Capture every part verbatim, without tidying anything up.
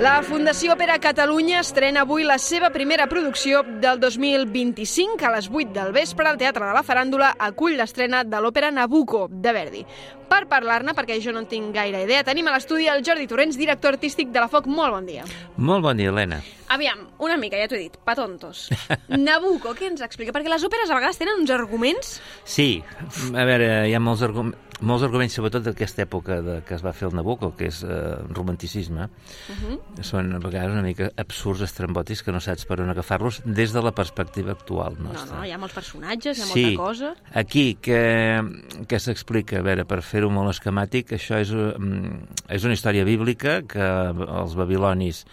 La Fundació Òpera Catalunya estrena avui la seva primera producció del dos mil vint-i-cinc. A les vuit del vespre, al Teatre de la Faràndula acull l'estrena de l'òpera Nabucco, de Verdi. Per parlar-ne, perquè jo no en tinc gaire idea, tenim a l'estudi el Jordi Torrents, director artístic de la Foc. Molt bon dia. Molt bon dia, Helena. Aviam, una mica, ja t'ho he dit, pa tontos. Nabucco, què ens explica? Perquè les òperes a vegades tenen uns arguments... Sí, a veure, hi ha molts, argum molts arguments, sobretot d'aquesta època de, que es va fer el Nabucco, que és eh, romanticisme. Uh -huh. Són a vegades una mica absurds, estrambòtics, que no saps per on agafar-los des de la perspectiva actual nostra. No, no, hi ha molts personatges, hi ha sí, molta cosa... Aquí, que, que s'explica, a veure, per fer-ho molt esquemàtic, això és, és una història bíblica que els babilonis,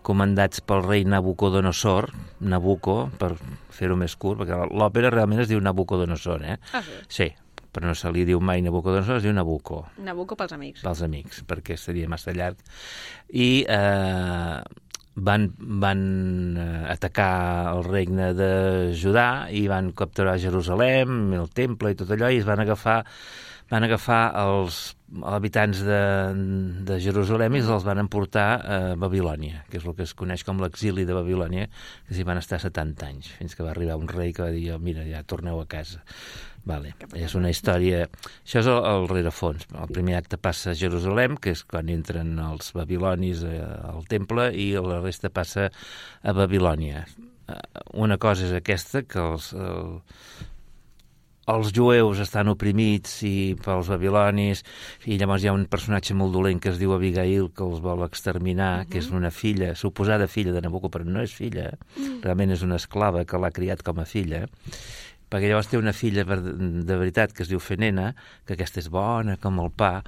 comandats pel rei Nabucodonosor, Nabucco, per fer-ho més curt, perquè l'òpera realment es diu Nabucodonosor, eh? Ah, sí? Sí, però no se li diu mai Nabucodonosor, es diu Nabucco. Nabucco pels amics. Pels amics, perquè seria massa llarg. I eh, van, van atacar el regne de Judà i van capturar Jerusalem, el temple i tot allò, i es van agafar van agafar els habitants de, de Jerusalem i els van emportar a Babilònia, que és el que es coneix com l'exili de Babilònia, que s'hi van estar setanta anys, fins que va arribar un rei que va dir, mira, ja torneu a casa. Vale. És una història... Això és el, el rerefons. El primer acte passa a Jerusalem, que és quan entren els babilonis al temple, i la resta passa a Babilònia. Una cosa és aquesta, que els... El, els jueus estan oprimits i pels babilonis, i llavors hi ha un personatge molt dolent que es diu Abigail, que els vol exterminar, uh -huh. que és una filla, suposada filla de Nabucco, però no és filla, uh -huh. realment és una esclava que l'ha criat com a filla, perquè llavors té una filla de veritat que es diu Fenena, que aquesta és bona com el pa,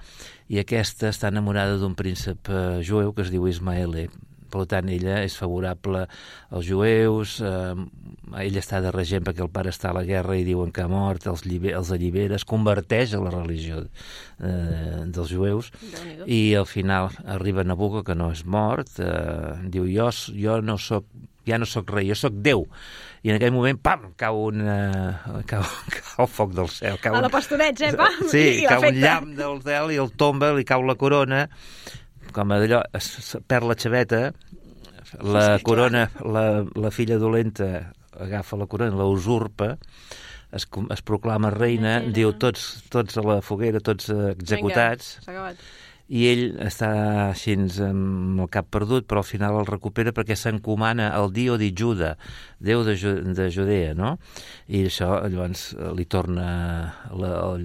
i aquesta està enamorada d'un príncep jueu que es diu Ismaele. Per tant, ella és favorable als jueus, eh, ella està de regent perquè el pare està a la guerra i diuen que ha mort, els, els allibera, es converteix a la religió eh, dels jueus, i al final arriba Nabucco, que no és mort, eh, diu, jo, jo no soc, ja no soc rei, jo soc Déu. I en aquell moment, pam, cau un uh, cau, cau foc del cel. Cau a la pastoreig, eh, pam! Sí, cau un llamp del cel i el tomba, li cau la corona, com allò, es perd la xaveta, la corona, la, la filla dolenta agafa la corona, la usurpa, es, es proclama reina, sí, sí, diu tots, tots a la foguera, tots executats. Vinga, s'ha acabat. I ell està així amb el cap perdut, però al final el recupera perquè s'encomana al Dio di Giuda, Déu de, de Judea, no? I això llavors li torna la,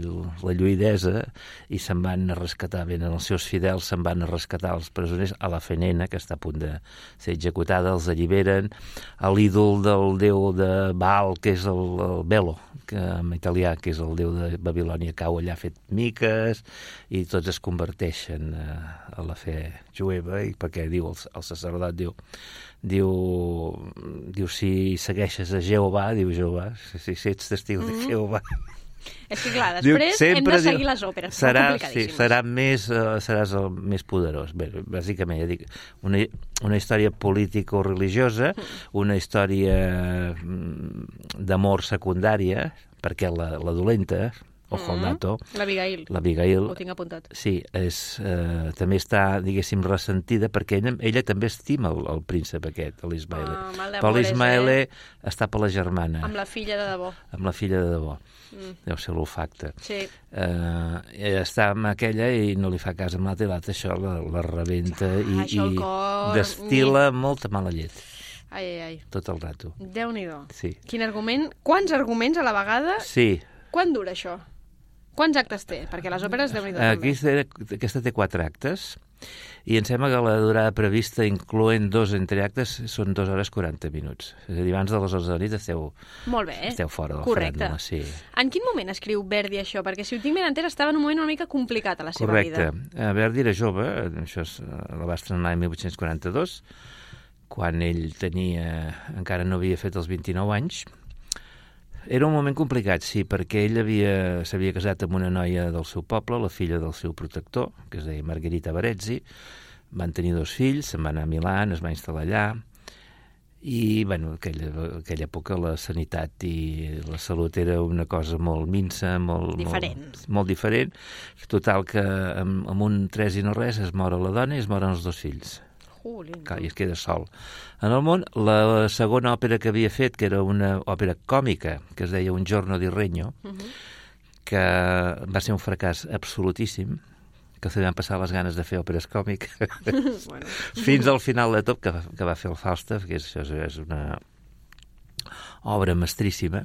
la lluïdesa i se'n van a rescatar, ben els seus fidels se'n van a rescatar els presoners, a la Fenena, que està a punt de ser executada, els alliberen, a l'ídol del déu de Baal, que és el, el Belo, que en italià, que és el déu de Babilònia, cau allà fet miques, i tots es converteixen a la fe jueva, i perquè diu el, el sacerdot diu, diu diu si segueixes a Jehovà, diu Jehovà, si, si ets testigo de Jehovà. És que clar, després diu, hem de seguir diu, les òperes, serà, sí, serà més, uh, seràs el més poderós. Bé, bàsicament, ja dic, una, una història político-religiosa, una història d'amor secundària, perquè la, la dolenta, ojo al dato. L'Abigail. L'Abigail. Ho tinc apuntat. Sí, és, eh, també està, diguéssim, ressentida, perquè ella, ella també estima el, el príncep aquest, l'Ismaele. Ah, però l'Ismaele eh? està per la germana. Amb la filla de debò. Amb la filla de debò. Mm. Deu ser l'olfacte. Sí. Eh, està amb aquella i no li fa cas amb l'altra, i l'altra això la, la rebenta ah, i, i cor... destil·la molta mala llet. Ai, ai, ai. Tot el rato. Déu-n'hi-do. Sí. Quin argument? Quants arguments a la vegada? Sí. Quan dura això? Quants actes té? Perquè les òperes déu-n'hi-do també. Aquesta té quatre actes, i em sembla que la durada prevista, incloent dos entre actes, són dues hores quaranta minuts. És a dir, abans de les onze de la nit esteu, Molt bé. esteu fora del Correcte. Faràndula. Sí. En quin moment escriu Verdi això? Perquè si ho tinc ben entès, estava en un moment una mica complicat a la seva Correcte. vida. Correcte. Verdi era jove, això és, la va estrenar l'any mil vuit-cents quaranta-dos, quan ell tenia, encara no havia fet els vint-i-nou anys. Era un moment complicat, sí, perquè ell havia, s'havia casat amb una noia del seu poble, la filla del seu protector, que es deia Margherita Barezzi. Van tenir dos fills, se'n va anar a Milà, es va instal·lar allà, i, bueno, aquella, aquella època la sanitat i la salut era una cosa molt minsa, molt diferent. Molt, molt diferent. Total que amb, amb un tres i no res es mor la dona i es moren els dos fills. Jolín. Clar, i es queda sol. En el món, la segona òpera que havia fet, que era una òpera còmica, que es deia Un giorno di regno, uh -huh. que va ser un fracàs absolutíssim, que se li van passar les ganes de fer òperes còmiques, bueno. fins al final de tot, que, que va fer el Falstaff, que és, és una obra mestríssima,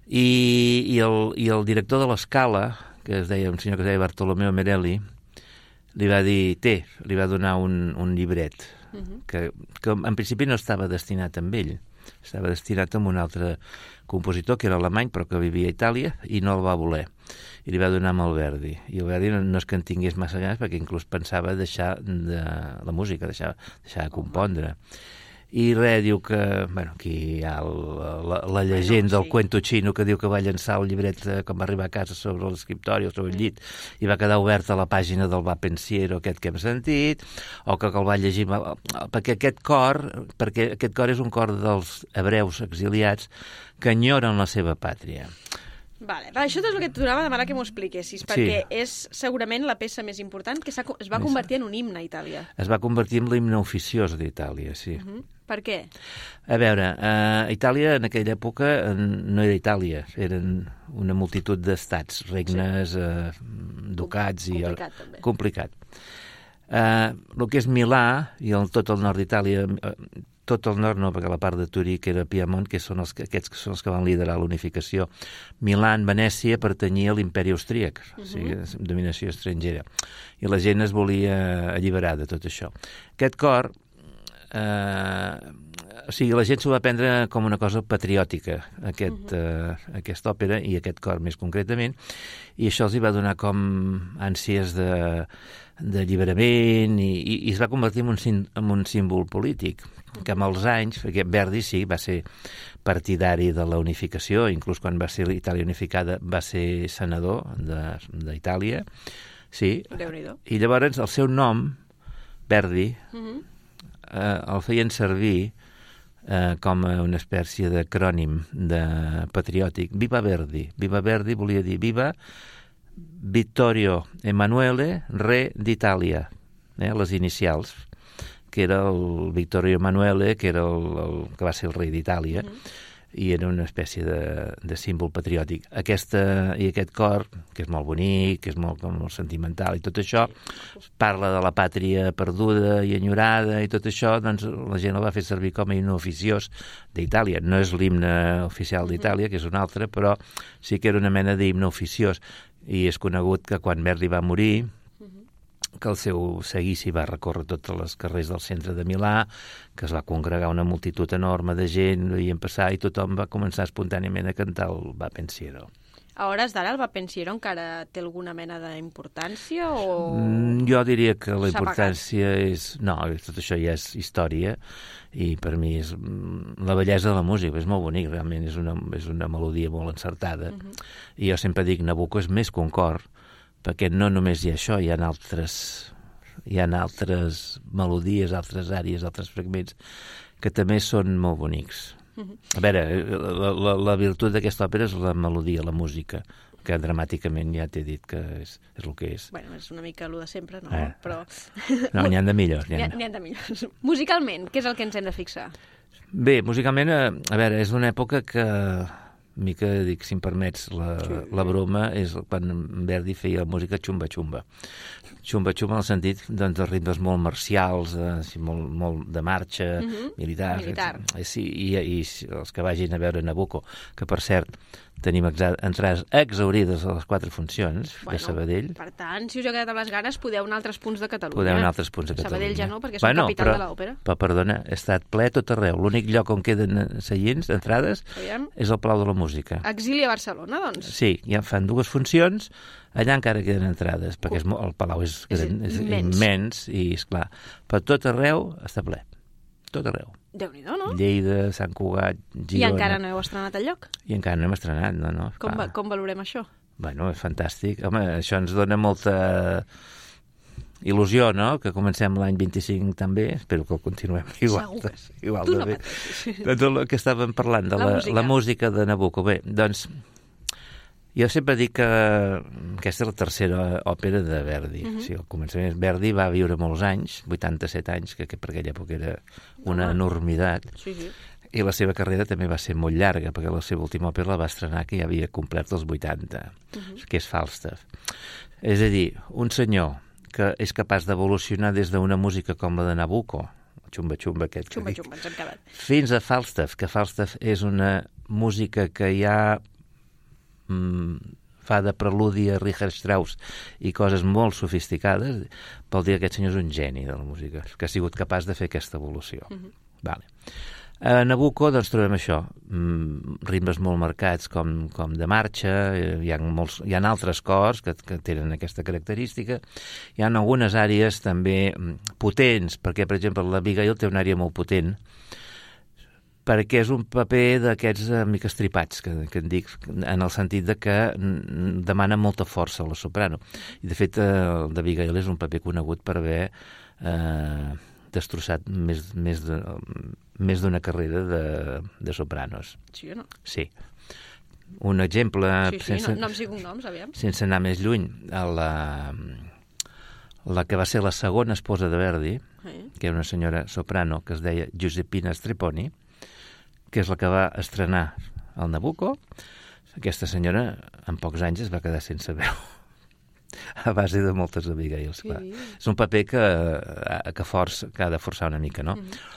i, i, el, i el director de l'Escala, que es deia, un senyor que es deia Bartolomeo Merelli, li va dir, té, li va donar un, un llibret, uh -huh. que, que en principi no estava destinat amb ell, estava destinat amb un altre compositor, que era alemany, però que vivia a Itàlia, i no el va voler. I li va donar amb el Verdi. I el Verdi no, no és que en tingués massa ganes, perquè inclús pensava deixar de, la música, deixar, deixar de compondre. I res, diu que, bueno, aquí hi ha el, la, la llegenda bueno, sí. del cuento xino, que diu que va llançar el llibret eh, quan va arribar a casa sobre l'escriptori o sobre el llit, i va quedar oberta la pàgina del Va Pensiero, aquest que hem sentit, o que, que el va llegir, perquè aquest cor, perquè aquest cor és un cor dels hebreus exiliats que enyoren la seva pàtria. Vale, això és el que et donava demanar que m'ho expliquessis, perquè sí. és segurament la peça més important que es va convertir en un himne a Itàlia. Es va convertir en l'himne oficiós d'Itàlia, sí. Uh -huh. Per què? A veure, uh, Itàlia en aquella època no era Itàlia, eren una multitud d'estats, regnes, sí. uh, ducats... Com, i complicat, el, també. Complicat. Uh, el que és Milà i el, tot el nord d'Itàlia... Uh, tot el nord no, perquè la part de Turí, que era Piemont, que són els, aquests que són els que van liderar l'unificació. Milà, Venècia, pertanyia a l'imperi austríac, uh -huh. o sigui, dominació estrangera. I la gent es volia alliberar de tot això. Aquest cor, eh, o sigui, la gent s'ho va prendre com una cosa patriòtica, aquest, uh -huh. eh, aquesta òpera i aquest cor més concretament, i això els hi va donar com ànsies de d'alliberament i, i, i es va convertir en un, en un símbol polític, que amb els anys, perquè Verdi sí, va ser partidari de la unificació, inclús quan va ser l'Itàlia unificada va ser senador d'Itàlia, sí, i llavors el seu nom, Verdi, uh-huh. eh, el feien servir eh, com a una espècie d'acrònim de patriòtic. Viva Verdi. Viva Verdi volia dir viva Vittorio Emanuele, re d'Itàlia, eh, les inicials, que era el Vittorio Emanuele, que era el, el que va ser el rei d'Itàlia, mm-hmm. i era una espècie de, de símbol patriòtic. Aquesta, i aquest cor, que és molt bonic, que és molt, molt sentimental, i tot això, parla de la pàtria perduda i enyorada, i tot això, doncs la gent el va fer servir com a himne oficiós d'Itàlia. No és l'himne oficial d'Itàlia, que és un altre, però sí que era una mena d'himne oficiós. I és conegut que quan Verdi va morir, que el seu seguici va recórrer tots els carrers del centre de Milà, que es va congregar una multitud enorme de gent, veien passar, i tothom va començar espontàniament a cantar el Va Pensiero. A hores d'ara el Va Pensiero encara té alguna mena d'importància o...? Mm, jo diria que la importància és... No, tot això ja és història, i per mi és la bellesa de la música, és molt bonic, realment és una, és una melodia molt encertada. Uh-huh. I jo sempre dic, Nabucco és més que un cor, perquè no només hi ha això, hi ha altres, hi ha altres melodies, altres àrees, altres fragments, que també són molt bonics. Uh-huh. A veure, la, la, la virtut d'aquesta òpera és la melodia, la música, que dramàticament ja t'he dit que és, és el que és. Bueno, és una mica el de sempre, no? Eh. Però... No, n'hi ha de millors. N'hi ha, ha, ha de millors. Musicalment, què és el que ens hem de fixar? Bé, musicalment, a, a veure, és una època que... mica, dic, si em permets, la, sí. la broma és quan Verdi feia música xumba-xumba. Xumba-xumba en el sentit doncs, de ritmes molt marcials, eh, molt, molt de marxa, uh-huh. militar. Militar. Eh, sí, i, i els que vagin a veure Nabucco, que per cert tenim entrades exaurides a les quatre funcions bueno, de Sabadell. Per tant, si us heu quedat amb les ganes, podeu anar a altres punts de Catalunya. Podeu anar a altres punts de Catalunya. Sabadell ja no, perquè és bueno, capital però, de l'òpera. Però, perdona, ha estat ple tot arreu. L'únic lloc on queden seients, entrades, Aviam. és el Palau de la Música. Exili a Barcelona, doncs? Sí, ja fan dues funcions, allà encara queden entrades, perquè és, el Palau és, és, és immens. immens, i, esclar, però tot arreu està ple. Tot arreu. Déu-n'hi-do, no? Lleida, Sant Cugat, Girona... I encara no heu estrenat el lloc? I encara no hem estrenat, no, no. Com, va, com valorem això? Bueno, és fantàstic. Home, això ens dona molta il·lusió, no?, que comencem l'any vint-i-cinc també. Espero que ho continuem igual. Segur. Igual tu de no bé. Doncs el que estàvem parlant, de la, la, música. la música de Nabucco. Bé, doncs, Jo sempre dic que aquesta és la tercera òpera de Verdi. Uh-huh. O sigui, al començament Verdi va viure molts anys, vuitanta-set anys, que, que per aquella època era una uh-huh. enormitat. Sí, sí. I la seva carrera també va ser molt llarga, perquè la seva última òpera la va estrenar que ja havia complert els vuitanta, uh-huh. que és Falstaff. És a dir, un senyor que és capaç d'evolucionar des d'una música com la de Nabucco, xumba-xumba aquest xumba, xumba, ens hem quedat. Fins a Falstaff, que Falstaff és una música que ja mm, fa de preludi a Richard Strauss i coses molt sofisticades, vol dir que aquest senyor és un geni de la música, que ha sigut capaç de fer aquesta evolució. Uh-huh. Vale. A Nabucco doncs trobem això, mm, ritmes molt marcats com, com de marxa, hi ha, molts, hi ha altres cors que, que tenen aquesta característica, hi ha algunes àrees també potents, perquè per exemple l'Abigail té una àrea molt potent, perquè és un paper d'aquests eh, mica estripats, que, que en dic, en el sentit de que demana molta força a la soprano. I de fet eh, el d'Abigail és un paper conegut per haver eh, destrossat més, més de... més d'una carrera de, de sopranos. Sí o no? Sí. Un exemple... Sí, sí, sense, no, noms i cognoms, aviam. Sense anar més lluny, a la, la que va ser la segona esposa de Verdi, sí. que era una senyora soprano que es deia Giuseppina Strepponi, que és la que va estrenar el Nabucco. Aquesta senyora, en pocs anys, es va quedar sense veu. A base de moltes Abigails, clar. Sí. És un paper que, que, força, que ha de forçar una mica, no? Mm-hmm.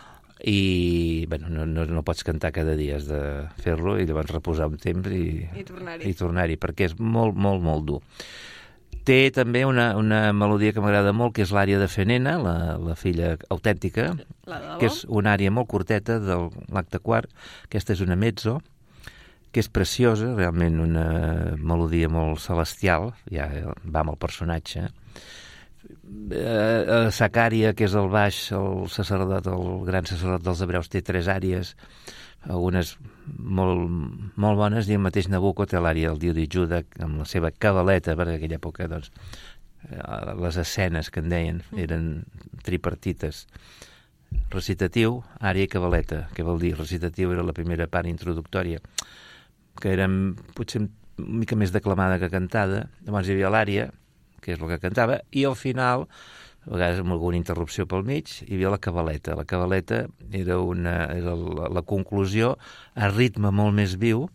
I bueno, no, no, no pots cantar cada dia, has de fer-lo i llavors reposar un temps i, I tornar-hi, i tornar-hi perquè és molt, molt, molt dur. Té també una, una melodia que m'agrada molt, que és l'ària de Fenena, la, la filla autèntica, que és una ària molt curteta de l'acte quart. Aquesta és una mezzo, que és preciosa, realment una melodia molt celestial, ja va amb el personatge. Eh, Zacària, que és el baix, el sacerdot, el gran sacerdot dels hebreus, té tres àrees, algunes molt, molt bones, i el mateix Nabucco té l'àrea del Dio di Giuda, amb la seva cabaleta, perquè en aquella època doncs, les escenes que en deien eren tripartites. Recitatiu, àrea i cabaleta. Què vol dir? Recitatiu era la primera part introductòria, que era potser una mica més declamada que cantada. Llavors hi havia l'àrea, que és el que cantava, i al final, a vegades amb alguna interrupció pel mig, hi havia la cabaleta. La cabaleta era, una, era la, la conclusió a ritme molt més viu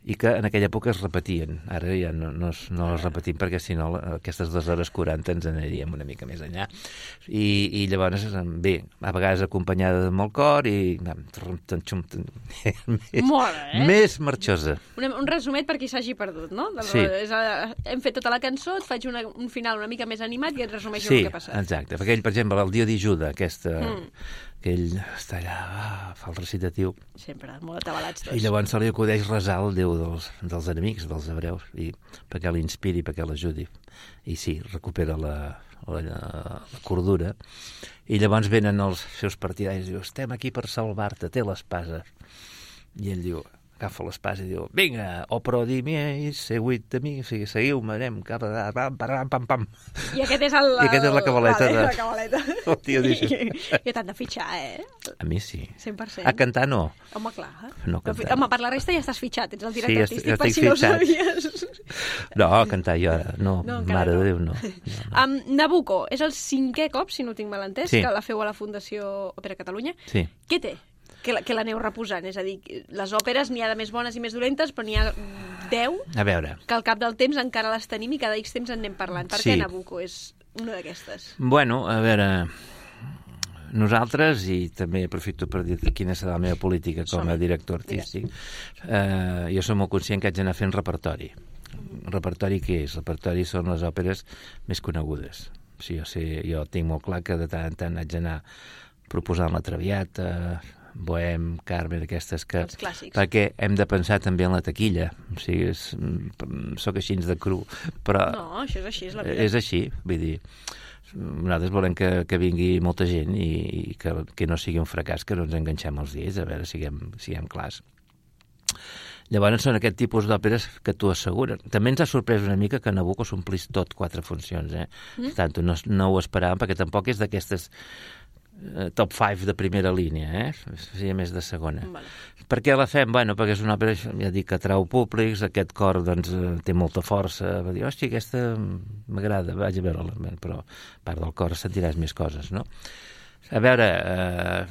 i que en aquella època es repetien. Ara ja no, no, no les repetim perquè si no aquestes dues hores quaranta ens aniríem una mica més enllà. I, i llavors, bé, a vegades acompanyada de molt cor i més, Mola, eh? més marxosa. Un, un resumet per qui s'hagi perdut, no? De, Sí. És, hem fet tota la cançó, et faig una, un final una mica més animat i et resumeixo Sí, el que ha passat. exacte. Perquè ell, per exemple, el Dio di Giuda, aquesta, Mm. que ell està allà, ah, fa el recitatiu, Sempre, molt atabalats tots. i llavors se li acudeix resar el Déu dels, dels enemics, dels hebreus, i perquè l'inspiri, perquè l'ajudi. I sí, recupera la, la, la cordura. I llavors venen els seus partidaris i diu, estem aquí per salvar-te, té l'espasa. I ell diu, agafa l'espasa i diu, vinga, o pro di miei, seguit de mi, o sigui, seguiu-me, anem cap a... Pam, pam, pam, pam. I aquest és el... I aquest és la cabaleta vale, de... la cabaleta. El tio diu... I t'han de fitxar, eh? A mi sí. cent per cent. A cantar no. Home, clar. No cantar. Home, per la resta ja estàs fitxat, ets el Sí, director ja artístic, estic- ja per estic si no ho fitxat. sabies. No, a cantar jo ara, no, No, encara mare no. de Déu, no. no, no. Um, Nabucco és el cinquè cop, si no tinc mal entès, Sí. que la feu a la Fundació Òpera Catalunya. Sí. Què té? Que la- que l'aneu reposant? És a dir, les òperes n'hi ha de més bones i més dolentes, però n'hi ha deu A veure, que al cap del temps encara les tenim i cada X temps en anem parlant. Per Sí. què Nabucco és una d'aquestes? bueno, a veure, nosaltres, i també aprofito per dir quina serà la meva política com a Som-hi. director artístic, eh, jo som molt conscient que haig d'anar fent repertori. Repertori què és? Repertori són les òperes més conegudes. O sigui, jo, sé, jo tinc molt clar que de tant en tant haig d'anar proposant la Traviata, Bohem, Carmen, aquestes que... Els clàssics. Perquè hem de pensar també en la taquilla. O sigui, és, soc així de cru, però... No, això és així, és la vida. És així, vull dir, nosaltres volem que, que vingui molta gent i, i que, que no sigui un fracàs, que no ens enganxem els dies, a veure, siguem, siguem clars. Llavors són aquest tipus d'òperes que t'ho asseguren. També ens ha sorprès una mica que Nabucco s'omplís tot quatre funcions, eh? Mm. Per tant, no, no ho esperàvem, perquè tampoc és d'aquestes top cinc de primera línia, eh? Seria més de segona. Vale. Per què la fem? Bueno, perquè és una òpera, ja dic, que atrau públics, aquest cor doncs, té molta força, va dir, hòstia, aquesta m'agrada, vaig a veure-la, però a part del cor sentiràs més coses, no? A veure, eh,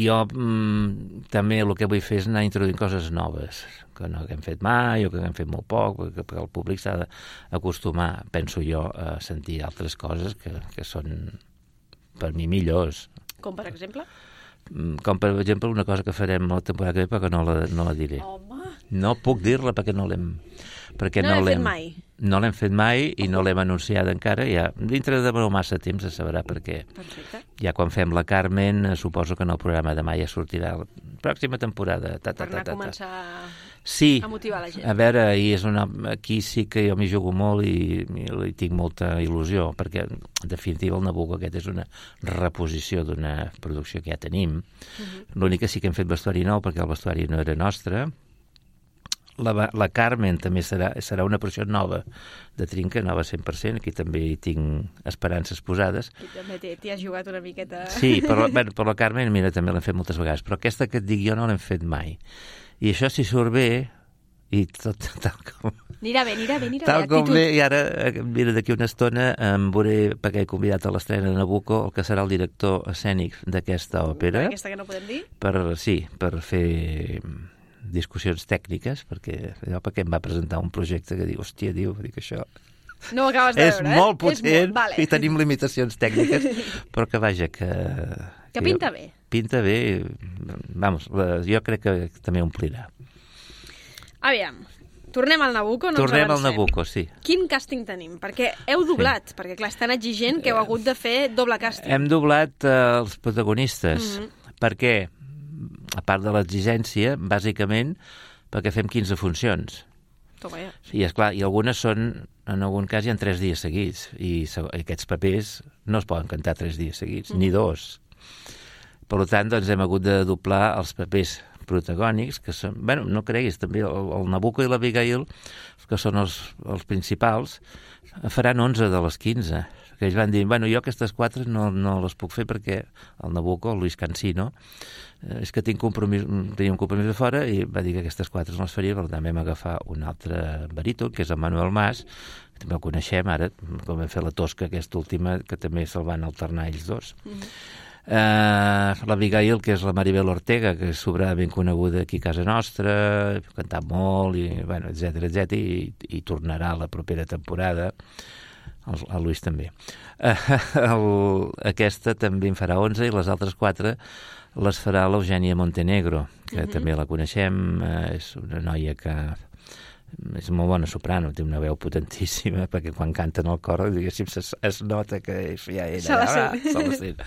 jo mm, també el que vull fer és anar introduint coses noves, que no que hem fet mai o que hem fet molt poc, perquè, perquè el públic s'ha d'acostumar, penso jo, a sentir altres coses que, que són, per mi, millors. Com, per exemple? Com, per exemple, una cosa que farem la temporada que ve, però que no la, no la diré. Home! No puc dir-la perquè no l'hem... Perquè no, no l'hem fet mai. No l'hem fet mai i no l'hem anunciat encara. Ja, dintre de no massa temps es sabrà perquè Perfecte. Ja quan fem la Carmen, suposo que en el programa de mai ja sortirà la pròxima temporada. Ta, ta, Per anar ta, ta, a començar sí, a motivar la gent. A veure, i és una, aquí sí que jo m'hi jugo molt i, i, i tinc molta il·lusió, perquè en definitiva el Nabucco aquest és una reposició d'una producció que ja tenim. Uh-huh. L'únic que sí que hem fet vestuari nou, perquè el vestuari no era nostre. La, la Carmen també serà, serà una producció nova de Trinca, nova cent per cent, aquí també hi tinc esperances posades. I també t'hi has jugat una miqueta... Sí, per la, bueno, per la Carmen, mira, també l'hem fet moltes vegades, però aquesta que et dic jo no l'hem fet mai. I això, si surt bé, i tot tal com... Anirà bé, anirà bé, anirà tal bé. Com bé, i ara, mira, d'aquí una estona em veuré, perquè he convidat a l'estrena de Nabucco, el que serà el director escènic d'aquesta òpera. Aquesta que no podem dir? Per, sí, per fer discussions tècniques, perquè allò perquè em va presentar un projecte que diu, hòstia, diu, dic això... No ho acabes de és veure, molt eh? potent, és molt, vale. I tenim limitacions tècniques, però que vaja, que... Que, que pinta jo, bé. Pinta bé, vamos, la, jo crec que també omplirà. Aviam, tornem al Nabucco, no tornem ens avancem. al Nabucco, sí. Quin càsting tenim? Perquè heu doblat, sí. Perquè clar, és tan exigent que heu hagut de fer doble càsting. Hem doblat eh, els protagonistes, mm-hmm. perquè, a part de l'exigència, bàsicament, perquè fem quinze funcions. Toma ja. I, esclar, i algunes són, en algun cas, hi ha tres dies seguits, i aquests papers no es poden cantar tres dies seguits, mm. ni dos. Per tant, doncs, hem hagut de doblar els papers protagònics, que són, bueno, no creguis, també el, el Nabucco i l'Abigail, que són els, els principals, faran onze de les quinze. Que ells van dir, bueno, jo aquestes quatre no, no les puc fer perquè el Nabucco, el Luis Cansino, eh, és que tinc compromís, tenia un compromís de fora i va dir que aquestes quatre no les faria, per tant vam agafar un altre baríton, que és el Manuel Mas, que també el coneixem ara, com vam fer la Tosca, aquesta última, que també se'l van alternar ells dos. Mm-hmm. Uh, l'Abigail, que és la Maribel Ortega, que és sobradament coneguda aquí a casa nostra, ha cantat molt, i, bueno, etcètera, etcètera, i, i tornarà la propera temporada. El, el Luis també. Uh, el, aquesta també en farà onze i les altres quatre les farà l'Eugènia Montenegro, que uh-huh. també la coneixem, uh, és una noia que és molt bona soprano, té una veu potentíssima, perquè quan canten al cor, diguéssim, es, es nota que ja era... Se la sent. Se la sent.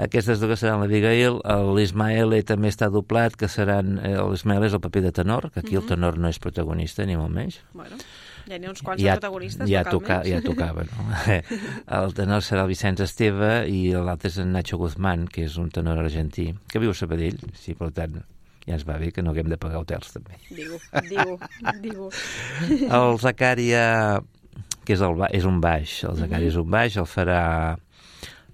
Aquestes dues seran l'Abigail, l'Ismael també està doblat, que seran... L'Ismael és el paper de tenor, que aquí uh-huh. el tenor no és protagonista, ni molt menys. Bueno, ja n'hi ha uns quants ja, de protagonistes, ja, toca, toca, ja tocava, no? El tenor serà el Vicenç Esteve i l'altre és en Nacho Guzmán, que és un tenor argentí, que viu a Sabadell, sí, per tant... ja ens va bé que no haguem de pagar hotels, també. Digo, digo, digo. El Zacària, que és, el, és un baix, el Zacària mm-hmm. és un baix, el farà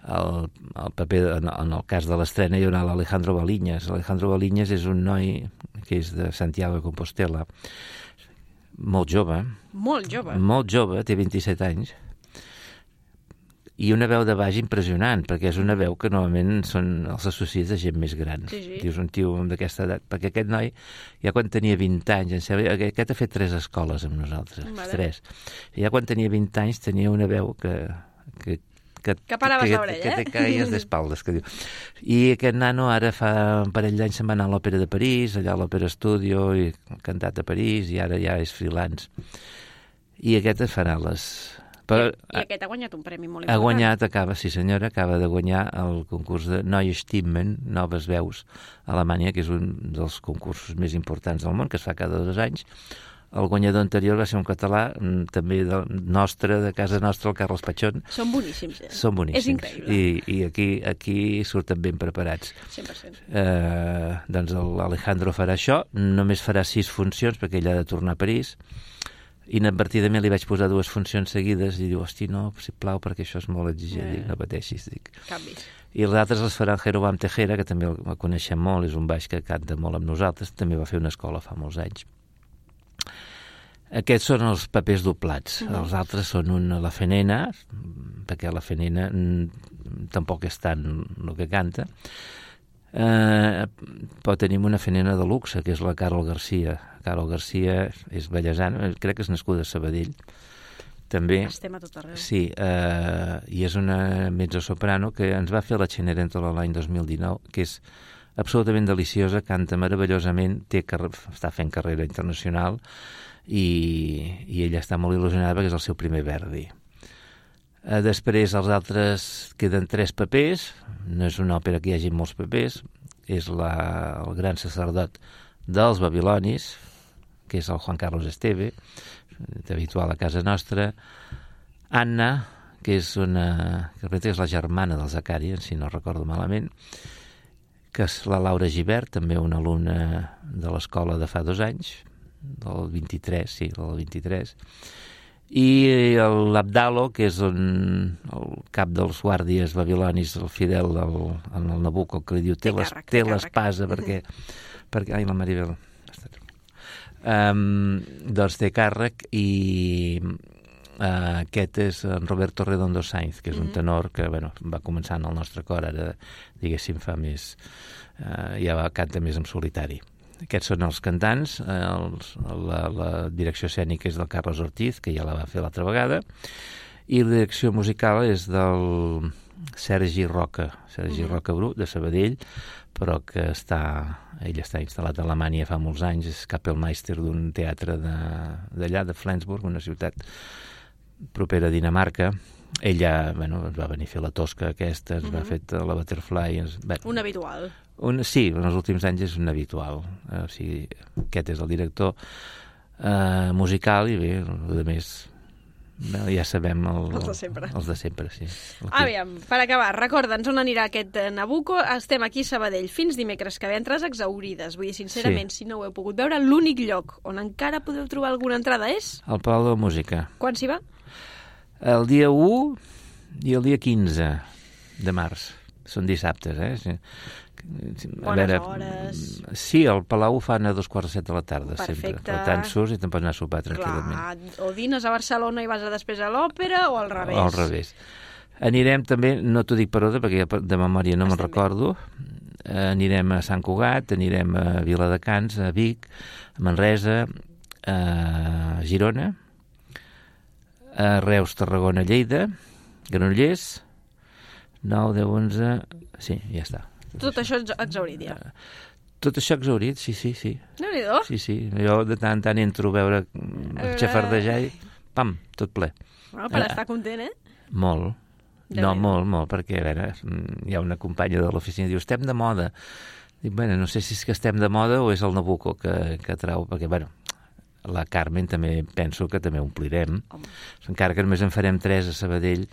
el, el paper, en, en el cas de l'estrena, hi haurà l'Alejandro Baliñas. L'Alejandro Baliñas és un noi que és de Santiago de Compostela, molt jove. Molt jove? Molt jove, té vint-i-set anys. I una veu de baix impressionant, perquè és una veu que normalment són els associats de gent més gran. Sí, sí. Dius un tio d'aquesta edat, perquè aquest noi, ja quan tenia vint anys, em sembla, aquest ha fet tres escoles amb nosaltres, vale. tres. I ja quan tenia vint anys tenia una veu que... que que, que paraves l'orella, que, eh? Que te caïes d'espaldes, que diu. I aquest nano ara fa un parell d'anys se'n va anar a l'Òpera de París, allà a l'Òpera Studio, i ha cantat a París, i ara ja és freelance. I aquest farà les... Però, I, I aquest ha guanyat un premi molt important. Ha guanyat, acaba, sí senyora, acaba de guanyar el concurs de Neue Stimmen, Noves Veus, a Alemanya, que és un dels concursos més importants del món, que es fa cada dos anys. El guanyador anterior va ser un català, també de, nostre, de casa nostra, el Carles Pachón. Són boníssims, eh? Són boníssims. És increïble. I, i aquí, aquí surten ben preparats. cent per cent. Eh, doncs l'Alejandro farà això, només farà sis funcions, perquè ell ha de tornar a París. Inadvertidament li vaig posar dues funcions seguides i diu, hosti, no, sisplau, perquè això és molt exigent. Yeah. Dic, no pateixis, dic. Canvis. i els altres els farà el Jerovam Tejera, que també el coneixem molt, és un baix que canta molt amb nosaltres, també va fer una escola fa molts anys. Aquests són els papers doblats. Mm. Els altres són una, la Fenena, perquè la Fenena mm, tampoc és tant el que canta, eh, però tenim una Fenena de luxe, que és la Carol Garcia. Carol Garcia és bellesana, crec que és nascuda a Sabadell, també. Estem a tot arreu. Sí, eh, i és una mezzosoprano que ens va fer la Cenerentola l'any dos mil dinou, que és absolutament deliciosa, canta meravellosament, té carre... està fent carrera internacional i, i ella està molt il·lusionada perquè és el seu primer Verdi. Eh, després els altres queden tres papers, no és una òpera que hi hagi molts papers, és la, el gran sacerdot dels babilonis, que és el Juan Carlos Esteve, habitual a casa nostra, Anna, que és una que és la germana del Zacari, si no recordo malament, que és la Laura Gibert, també una alumna de l'escola de fa dos anys, del vint-i-tres, sí, del vint-i-tres, i l'Abdalo, que és un, el cap dels guàrdies babilonis, el fidel del el Nabucco, que li diu, té l'espasa, perquè, perquè... Ai, la Maribel... Um, doncs té càrrec i uh, aquest és en Roberto Redondo Sainz, que és un tenor que bueno, va començar en el nostre cor, ara diguéssim fa més uh, ja va, canta més en solitari. Aquests són els cantants, uh, els, la, la direcció escènica és del Carlos Ortiz, que ja la va fer l'altra vegada, i la direcció musical és del Sergi Roca, Sergi uh-huh. Roca Bru, de Sabadell, però que està, ell està instal·lat a Alemanya fa molts anys, és Kapellmeister d'un teatre d'allà, de, de Flensburg, una ciutat propera a Dinamarca. Ella, bueno, ens va venir a fer la Tosca aquesta, ens uh-huh. va fer la Butterfly... Ens, bé, un habitual. Un, sí, en els últims anys és un habitual. Eh, o sigui, aquest és el director eh, musical i bé, el més... ja sabem el, els de sempre, els de sempre sí. Aviam, per acabar, recorda'ns on anirà aquest Nabucco. Estem aquí a Sabadell fins dimecres que ve, entrades exaurides, vull dir, sincerament, sí. Si no ho heu pogut veure, l'únic lloc on encara podeu trobar alguna entrada és? El Palau de la Música. Quan s'hi va? El dia u i el dia quinze de març, són dissabtes, eh? Sí. A Bones veure, hores... Sí, el Palau ho fan a dos quarts de set de la tarda. Perfecte. Sempre. Per tant, surts i te'n pots anar a sopar tranquil·lament. Clar, o dines a Barcelona i vas a després a l'òpera, o al revés. O al revés. Anirem també, no t'ho dic per ordre, perquè de memòria no me'n recordo, eh, anirem a Sant Cugat, anirem a Viladecans, a Vic, a Manresa, a Girona, a Reus, Tarragona, Lleida, Granollers, nou, deu, onze... Sí, ja està. Tot això exaurit, ja. Tot això exaurit, sí, sí, sí. Déu-n'hi-do. Sí, sí. Jo de tant en tant entro a veure el xafardejar i pam, tot ple. Bueno, per estar content, eh? Molt. No, molt, molt, perquè a veure, hi ha una companya de l'oficina que diu, estem de moda. Dic, bueno, no sé si és que estem de moda o és el Nabucco que, que trau, perquè, bueno, la Carmen també penso que també omplirem. Home. Encara que només en farem tres a Sabadell,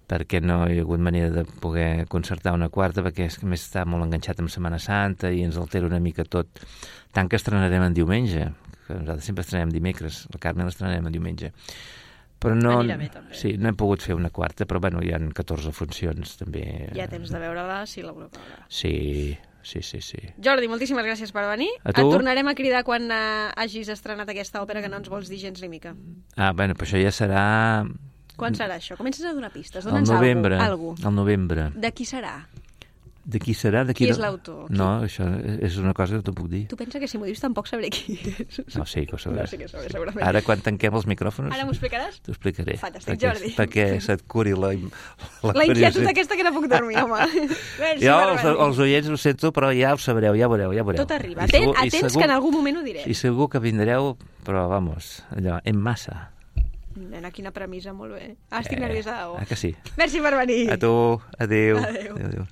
perquè no hi ha hagut manera de poder concertar una quarta, perquè és que més està molt enganxat amb Setmana Santa i ens altera una mica tot. Tant que estrenarem en diumenge, que nosaltres sempre estrenem dimecres, la Carme l'estrenarem en diumenge. Però no, bé, sí, no hem pogut fer una quarta, però bueno, hi ha catorze funcions també. Hi ha temps de veure-la, si la voleu veure. Sí, sí, sí, sí. Jordi, moltíssimes gràcies per venir. A tu? Et tornarem a cridar quan uh, hagis estrenat aquesta òpera que no ens vols dir gens ni mica. Ah, bueno, però això ja serà... Quan serà això? Comences a donar pistes. Al novembre. Algú. Al novembre. De qui serà? De qui serà? De qui, qui és l'autor? No, això és una cosa que no t'ho puc dir. Tu pensa que si m'ho dius tampoc sabré qui és? No, sí que ho sabràs. No, sí que ho sabré, segurament. Ara, quan tanquem els micròfons... Ara m'ho explicaràs? T'ho explicaré. Fantàstic, perquè, Jordi. Perquè se't curi la... La, la inquietud aquesta que no puc dormir, home. Merci, jo, els, els oients ho sento, però ja ho sabreu, ja veureu, ja veureu. Tot arriba. Atent, segur, atents segur, que en algun moment ho diré. I segur que vindreu, però, vamos, allò, en massa. Nena, quina premissa, molt bé. Ah, estic eh, nerviosa. Oh. Ah, que sí. Merci per venir. A tu, adéu. Adéu. Adéu, adéu.